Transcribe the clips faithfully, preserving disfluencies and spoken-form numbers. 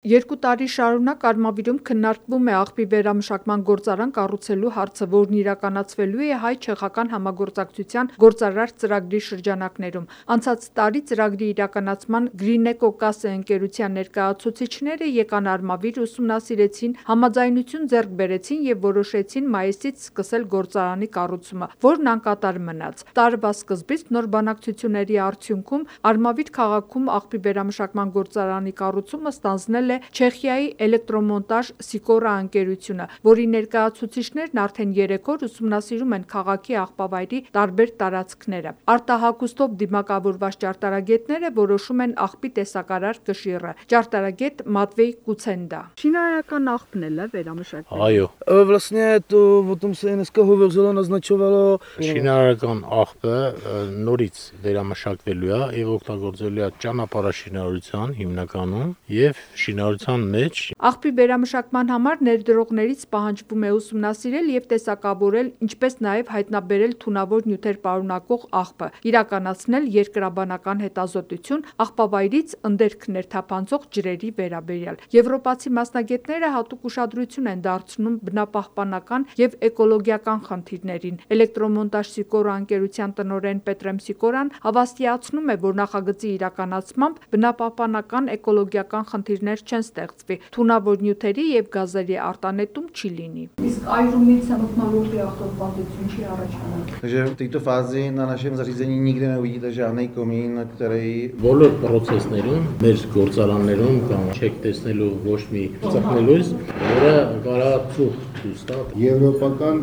Երկու տարի շարունակ Արմավիրում քննարկվում է աղբի վերամշակման գործարան կառուցելու հարցը, որն իրականացվելու է հայ-չեխական համագործակցության գործարար ծրագրի շրջանակներում։ Անցած տարի ծրագրի իրականացման Greeneco Case ընկերության ներկայացուցիչները եկան Արմավիր, ուսումնասիրեցին, համաձայնություն ձեռք բերեցին և որոշեցին մայիսից սկսել գործարանի կառուցումը, որն անկատար մնաց։ Տարվա սկզբից նոր բանակցությունների արդյունքում Արմավիր քաղաքում աղբի վերամշակման գործարանի կառուցումը ստանձնել է Չեխիայի էլեկտրոմոնտաժ Սիկորա ընկերությունը, որի ներկայացուցիչներն արդեն երեք օր ուսումնասիրում են քաղաքի աղբավայրի տարբեր տարածքները։ Արտահագուստով դիմակավորված ճարտարագետները որոշում են աղբի տեսակարար կշիռը։ Ճարտարագետ Մատվեյ Կուցենդա. Շինարարական աղբն էլ է վերամշակվել։ Այո, Vlastně to o tom se dneska hovořilo, naznačovalo. շինարարական աղբը նորից վերամշակվելու է եւ օգտագործելու է ճանապարհաշինարարության հիմնականում եւ շինարարության մեջ Աղբի վերամշակման համար ներդրողներից պահանջվում է ուսումնասիրել եւ տեսակավորել, ինչպես նաեւ հայտնաբերել թունավոր նյութեր պարունակող աղբը, իրականացնել երկրաբանական հետազոտություն աղբավայրից ընդերք ներթափանցող ջրերի վերաբերյալ։ Եվրոպացի մասնագետները հատուկ ուշադրություն են դարձնում բնապահպանական եւ էկոլոգիական խնդիրներին։ Էլեկտրոմոնտաժ Սիկորա ընկերության տնօրեն Պետրեմ Սիկորան հավաստիացնում է, որ նախագծի իրականացմամբ բնապահպանական էկոլոգիական խնդիրներ չեն ստեղծվի, թունավոր նյութերի եւ գազերի արտանետում չի լինի։ Իսկ այրումից մթնոլորտի աղտոտվածություն չի առաջանալ։ Takže v této fázi na našem zařízení nikde neuvidíte žádný komín, který բոլոր procesներում, մեր գործարաններում կամ չեք տեսնելու ոչ մի ծխնելույս, որը կարա ծուխ ցույց տա։ Եվրոպական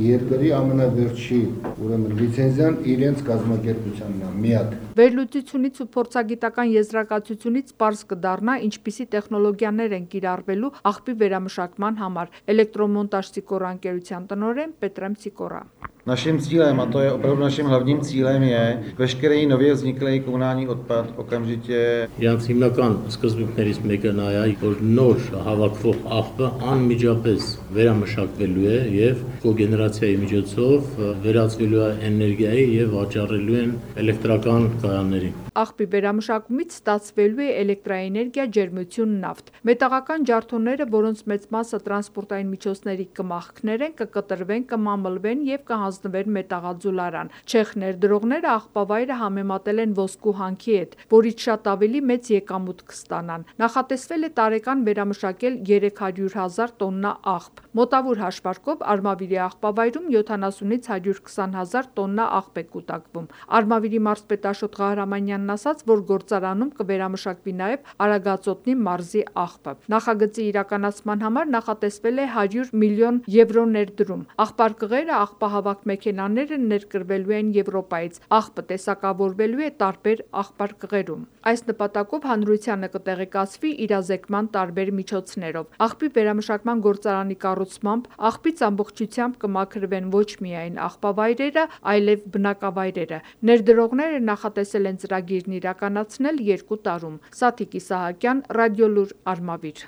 երկրի ամենավերջի ուրեմն լիցենզիան իրենց կազմակերպությանն է միակ։ Վերլուծությունից ու փորձագիտական եզրակացությունից պարզ կդառնա, ինչպիսի տեխնոլոգիաներ են կիրառվելու աղբի վերամշակման համար։ Էլեկտրոմոնտաժ Սիկորա ընկերության տնօրեն Պետրեմ Սիկորա. Naším cílem, a to je opravdu naším hlavním cílem, je veškerý nově vzniklý komunální odpad okamžitě Իրանց հիմնական սկզբունքներից մեկը նա է, որ նոր հավաքվող աղբը անմիջապես վերամշակվելու է եւ կոգեներացիայի միջոցով վերածվելու է էներգիայի եւ վաճառելու են էլեկտրական կայաններին։ Աղբի վերամշակումից ստացվելու է էլեկտրաէներգիա, ջերմություն, նավթ։ Մետաղական ջարդոնները, որոնց մեծ մասը տրանսպորտային միջոցների կմախքներ են, կկտրվեն, կմամլվեն եւ կհանձնվեն մետաղաձուլարան։ Չեխ ներդրողները աղբավայրը համեմատել են ոսկու հանքի հետ, որից շատ ավելի մեծ եկամուտ կստանան։ Նախատեսվել է տարեկան վերամշակել երեք հարյուր հազար տոննա աղբ։ Մոտավոր հաշվարկով Արմավիրի աղբավայրում յոթանասունից հարյուր քսան հազար տոննա աղբ է կուտակվում։ Արմավիրի մարզպետ Ղահրամանյանն ասաց, որ գործարանում կվերամշակվի նաև Արագածոտնի մարզի աղբը։ Նախագծի իրականացման համար նախատեսվել է հարյուր միլիոն եվրո ներդրում։ Աղբարկղերը, աղբահավաք մեքենաները ներկրվելու են Եվրոպայից։ Աղբը տեսակավորվելու է տարբեր աղբարկղերում։ Այս նպատակով հանրությանը կտեղեկացվի իրազեկման տարբեր միջոցներով։ Աղբի վերամշակման գործարանի կառուցմամբ աղբից ամբողջությամբ կմաքրվեն ոչ միայն աղբավայրերը, այլև բնակավայրերը։ Ներդրողները նախատեսել են ծրագիրն իրականացնել երկու տարում։ Սաթիկ Իսահակյան, Ռադիոլուր, Արմավիր։